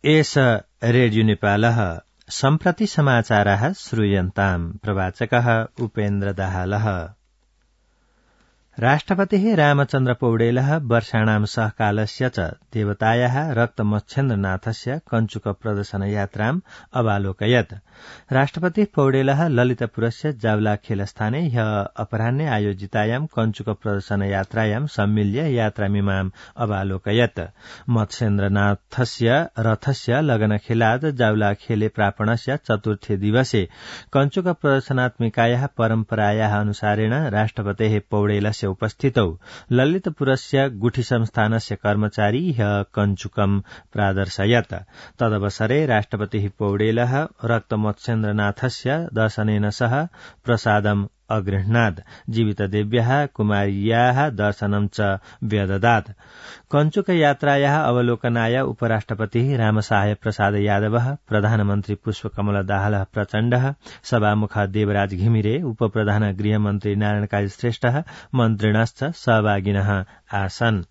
एष रेडियो नेपालः सम्प्रति समाचाराः श्रूयन्ताम्। प्रवाचकः उपेन्द्र दाहालः। राष्ट्रपतिः रामचन्द्र पौडेलः वर्षाणां सहकालस्य च देवतायाः रक्तमच्छेन्द्रनाथस्य कञ्चुक प्रदर्शन यात्राम् अवालोकयत्। राष्ट्रपतिः पौडेलः ललितपुरस्य जावलाखेलस्थाने ह्यः अपराह्ने आयोजितायां कञ्चुक प्रदर्शन यात्रायां सम्मिल्य यात्रामिमाम् अवालोकयत्। मत्स्येन्द्रनाथस्य रथस्य लगनखेलात् जावलाखेले प्रापणस्य चतुर्थे दिवसे कञ्चुक प्रदर्शनात्मिकायाः परम्परायाः अनुसारेण राष्ट्रपतेः पौडेलस्य उपस्थितौ ललितपुरस्य गुठी संस्थानस्य कर्मचारी ह्यः कञ्चुकम् प्रादर्शयत्। तदवसरे राष्ट्रपतिः पौडेलः रक्तमत्स्येन्द्रनाथस्य दर्शनेन सह प्रसादम् अगृह्णात्। जीवितदेव्याः कुमार्याः दर्शनं च व्यददात्। कञ्चुक यात्रायाः अवलोकनाय उपराष्ट्रपतिः रामसहाय प्रसाद यादवः, प्रधानमन्त्री पुष्पकमल दाहाल प्रचण्डः, सभामुख देवराज घिमिरे, उपप्रधान गृहमन्त्री नारायण काजी श्रेष्ठः मन्त्रिणश्च सहभागिनः आसन्।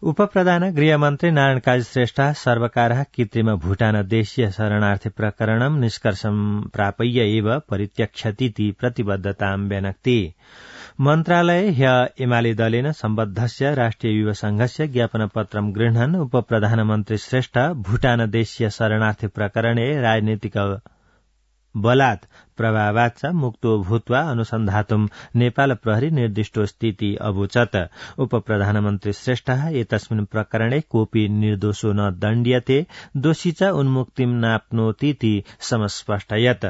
उपप्रधान गृहमन्त्री नारायण काजी श्रेष्ठः सर्वकारः कृत्रिम भूटान देशीय शरणार्थी प्रकरणं निष्कर्षं प्रापय्य एव परित्यक्षतीति प्रतिबद्धतां व्यनक्ति। मन्त्रालये ह्यः एमाले दलेन सम्बद्धस्य राष्ट्रिय युवा संघस्य ज्ञापनपत्रं गृह्णन् उपप्रधानमन्त्री श्रेष्ठ भूटान देशीय शरणार्थी प्रकरणे राजनीतिक बलात् प्रभावाच्च मुक्तो भूत्वा अनुसन्धातुं नेपाल प्रहरी निर्दिष्टोऽस्तीति अवोचत्। उपप्रधानमन्त्री श्रेष्ठः एतस्मिन् प्रकरणे कोऽपि निर्दोषो न दण्ड्यते, दोषी च उन्मुक्तिं नाप्नोतीति समस्पष्टयत्।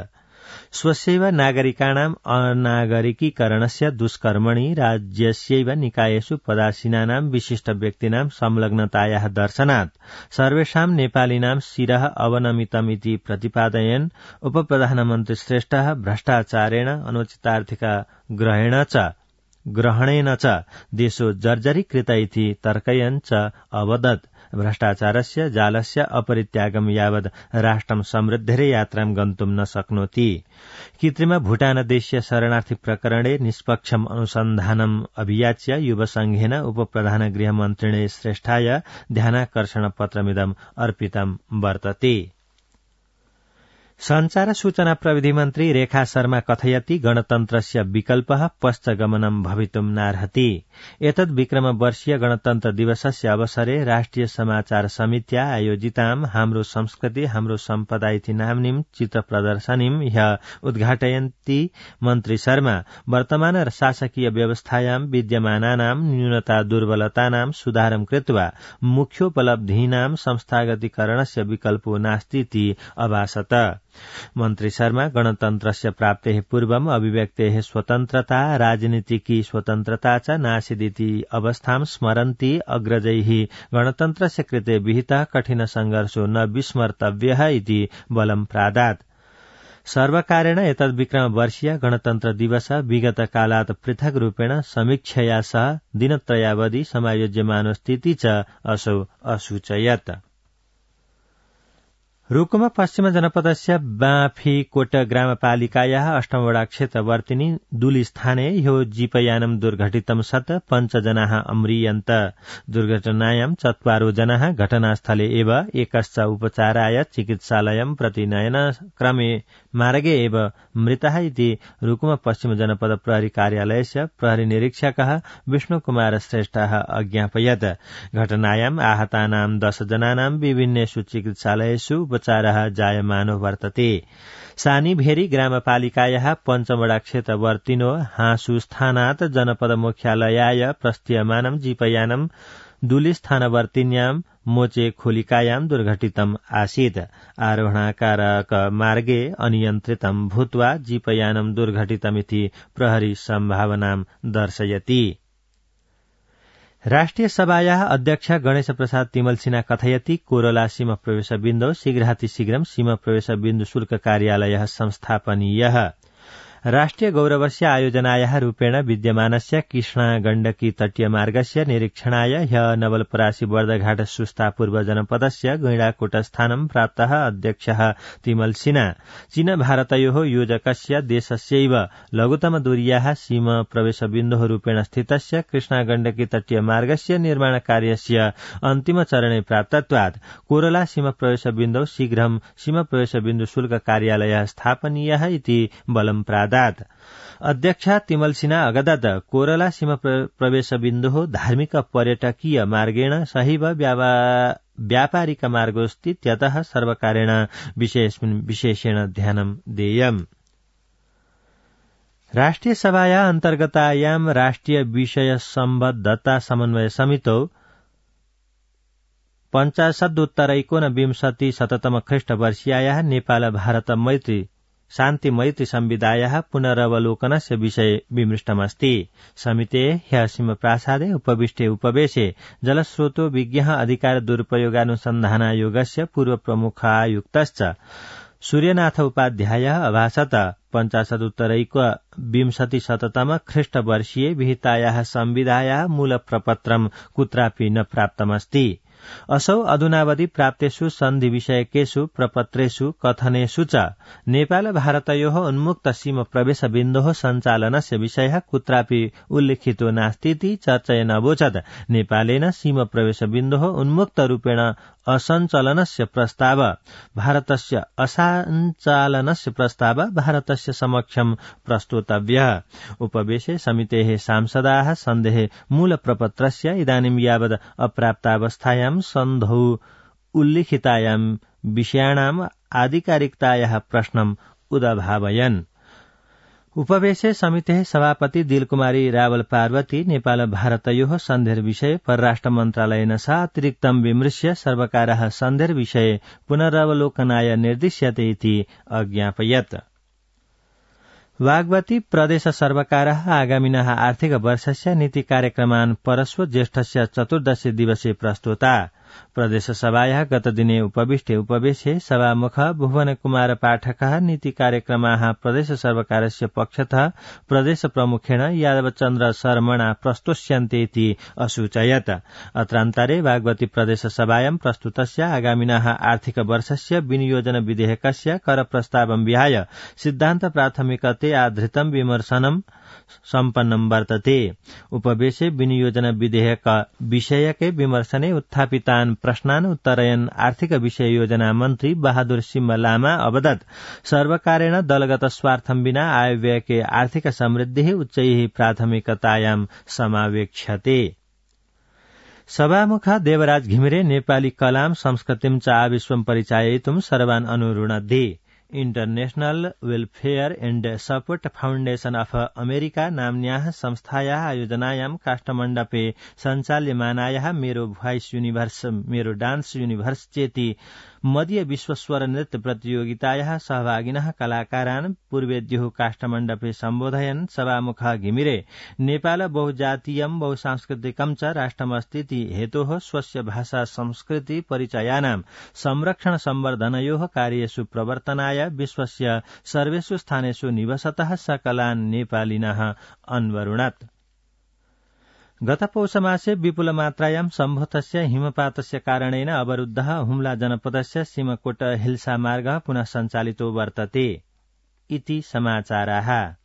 स्वस्यैव नागरिकाणाम् अनागरिकीकरणस्य दुष्कर्मणि राज्यस्यैव निकायेषु पदासीनानां विशिष्ट व्यक्तीनां संलग्नतायाः दर्शनात् सर्वेषां नेपालिनां शिरः अवनमितमिति प्रतिपादयन् उपप्रधानमन्त्री श्रेष्ठः भ्रष्टाचारेण अनुचितार्थिक ग्रहणेन च देशो जर्जरीकृत इति तर्कयन् च अवदत्। भ्रष्टाचारस्य जालस्य अपरित्यागं यावद् राष्ट्रं समृद्धेरे यात्रां गन्तुं न शक्नोति। कृत्रिम भूटान देशीय शरणार्थी प्रकरणे निष्पक्षम् अनुसन्धानम् अभियाच्य युवसंघेन उपप्रधान गृहमन्त्रिणे श्रेष्ठाय ध्यानाकर्षण पत्रमिदम् अर्पितं वर्तते। संचार सूचना प्रविधि मन्त्री रेखा शर्मा कथयति गणतन्त्रस्य विकल्पः पश्चगमनं भवितुं नार्हति। एतद् विक्रमवर्षीय गणतन्त्र दिवसस्य अवसरे राष्ट्रिय समाचार समित्या आयोजितां हाम्रो संस्कृति हाम्रो सम्पदा इति नाम्नीं चित्र प्रदर्शनीं ह्यः उद्घाटयन्ती मन्त्री शर्मा वर्तमान शासकीय व्यवस्थायां विद्यमानानां न्यूनता दुर्बलतानां सुधारं कृत्वा मुख्योपलब्धीनां संस्थागतीकरणस्य विकल्पो नास्तीति अभाषत। मन्त्री शर्मा गणतन्त्रस्य प्राप्तेः पूर्वम् अभिव्यक्तेः स्वतन्त्रता राजनीतिकी स्वतन्त्रता च नासीदिति अवस्थां स्मरन्ती अग्रजैः गणतन्त्रस्य कृते विहितः कठिन संघर्षो न विस्मर्तव्यः इति बलं प्रादात्। सर्वकारेण एतद् विक्रमवर्षीय गणतन्त्र दिवस विगत कालात् पृथक् रूपेण समीक्षया सह दिनत्रयावधि समायोज्यमानोऽस्तीति च असौ असूचयत्। रुकुम पश्चिम जनपदस्य बाँफीकोट ग्रामपालिकायाः 8 वडा क्षेत्रवर्तिनी दुलीस्थाने ह्यो जीपयानं दुर्घटितं सत् 5 जनाः अम्रियन्त। दुर्घटनायां 4 जनाः घटनास्थले एव एकश्च उपचाराय चिकित्सालयं प्रति नयन क्रमे मार्गे एव मृतः इति रुकुम पश्चिम जनपद प्रहरी कार्यालयस्य प्रहरी निरीक्षकः विष्णुकुमार श्रेष्ठः अज्ञापयत्। घटनायां आहतानां 10 जनानां विभिन्नेषु चिकित्सालयेषु उपचारः जायमानो वर्तते। सानीभेरी ग्रामपालिकायाः 5 वडा क्षेत्रवर्तिनो हाँसुस्थानात् जनपद मुख्यालयाय प्रस्थीयमानं जीपयानं दुलीस्थानवर्तिन्यां मोचे खोलिकायां दुर्घटितम् आसीत्। आरोहणाकारक मार्गे अनियन्त्रितं भूत्वा जीपयानं दुर्घटितमिति प्रहरी सम्भावनां दर्शयति। राष्ट्रिय सभायाः अध्यक्ष गणेश प्रसाद तिमल सिन्हा कथयति कोरोला सीमा प्रवेश बिन्दौ शीघ्रातिशीघ्रं सीमा प्रवेश बिन्दु शुल्क कार्यालयः संस्थापनीयः। राष्ट्रिय गौरवस्य आयोजनायाः रूपेण विद्यमानस्य कृष्णा गण्डकी तटीय मार्गस्य निरीक्षणाय ह्यः नवलपरासी बर्दघाट सुस्ता पूर्व जनपदस्य गैंडाकोटस्थानं प्राप्तः अध्यक्षः तिमल सिन्हा चीन भारतयोः योजकस्य देशस्यैव लघुतम दूर्याः सीमा प्रवेशबिन्दुः रूपेण स्थितस्य कृष्णा गण्डकी तटीय मार्गस्य निर्माण कार्यस्य अन्तिम चरणे प्राप्तत्वात् कोरला सीमा प्रवेशबिन्दौ शीघ्रं सीमा प्रवेशबिन्दु शुल्क कार्यालयः स्थापनीयः इति बलं प्रादात्। अध्यक्ष तिमल सिन्हा अगदत कोरला सीमा प्रवेशबिन्दुः धार्मिक पर्यटकीय मार्गेण सहैव व्यापारिक मार्गोऽस्ति त्यतः सर्वकारेण विशेषेण ध्यानं देयम्। राष्ट्रिय सभाया अन्तर्गतायां राष्ट्रिय विषय सम्बद्धता समन्वय समितौ 50 ख्रीष्टवर्षीयायाः नेपाल भारत मैत्री शान्ति मैत्री संविधायाः पुनरवलोकनस्य विषये विमृष्टमस्ति। समितेः ह्यः सिंहप्रासादे उपविष्टे उपवेशे जलस्रोतो विज्ञः अधिकार दुरुपयोगानुसन्धानायोगस्य पूर्व प्रमुखायुक्तश्च सूर्यनाथ उपाध्यायः अभाषत 50 ख्रीष्टवर्षीये विहितायाः संविधायाः मूलप्रपत्रं कुत्रापि न प्राप्तमस्ति। असौ अधुनावधि प्राप्तेषु सन्धि विषयकेषु प्रपत्रेषु कथनेषु च नेपाल भारतयोः उन्मुक्त सीमा प्रवेश बिन्दोः सञ्चालनस्य विषयः कुत्रापि उल्लिखितो नास्तीति चर्चयनवोचत् नेपालेन सीमा प्रवेश बिन्दोः उन्मुक्त रूपेण असञ्चालनस्य प्रस्ताव भारतस्य समक्षं प्रस्तोतव्यः। उपवेशे समितेः सांसदाः सन्धेः मूलप्रपत्रस्य इदानीं यावत् अप्राप्तावस्थायां सन्धौ उल्लिखितायां विषयाणाम् आधिकारिकतायाः प्रश्नम् उदभावयन्। उपवेशे समितेः सभापति दिलकुमारी रावल पार्वती नेपाल भारतयोः सन्धेर्विषये परराष्ट्र मन्त्रालयेन सह अतिरिक्तं विमृश्य सर्वकारः सन्धेर्विषये पुनरवलोकनाय निर्दिश्यते इति अज्ञापयत्। वाग्वती प्रदेश सर्वकारः आगामिनः आर्थिक वर्षस्य नीति कार्यक्रमान् परश्व ज्येष्ठस्य 14 दिवसे प्रस्तुता। प्रदेश सभायाः गतदिने उपविष्टे उपवेशे सभामुख भुवन कुमार पाठकः नीति कार्यक्रमाः प्रदेश सर्वकारस्य पक्षतः प्रदेश प्रमुखेण यादवचन्द्र शर्मणा प्रस्तोष्यन्ते इति असूचयत्। अत्रान्तरे वाग्वती प्रदेश सभायां प्रस्तुतस्य आगामिनः आर्थिक वर्षस्य विनियोजन विधेयकस्य कर प्रस्तावं विहाय सिद्धान्त प्राथमिकते आधृतं विमर्शनं सम्पन्नं वर्तते। उपवेशे विनियोजन विधेयक विषयके विमर्शने उत्थापितान् प्रश्नान् उत्तरयन् आर्थिक विषय योजना मन्त्री बहादुर सिंह लामा अवदत् सर्वकारेण दलगत स्वार्थं विना आयव्ययके आर्थिक समृद्धिः उच्चैः प्राथमिकतायां समावेक्ष्यते। सभामुख देवराज घिमिरे नेपाली कलां संस्कृतिं च आविश्वं परिचाययितुं सर्वान् अनुरुणद्धि। International welfare and support foundation of America नाम्न्याः संस्थायाः आयोजनायां काष्ठमण्डपे सञ्चाल्यमानायाः Mero voice universe Mero dance universe चेति मदीय विश्वस्वर नृत्य प्रतियोगितायाः सहभागिनः कलाकारान् पूर्वेद्युः काष्ठमण्डपे सम्बोधयन् सभामुख घिमिरे नेपाल बहुजातीयं बहुसांस्कृतिकं च राष्ट्रमस्तीति हेतोः स्वस्य भाषा संस्कृति परिचयानां संरक्षण संवर्धनयोः कार्येषु प्रवर्तनाय विश्वस्य सर्वेषु स्थानेषु निवसतः सकलान् नेपालिनः अन्वरुणत्। गत पौषमासे विपुल मात्रायां सम्भूतस्य हिमपातस्य कारणेन अवरुद्धः हुम्ला जनपदस्य सीमाकोट हिल्सा मार्गः पुनः सञ्चालितो वर्तते इति समाचाराः।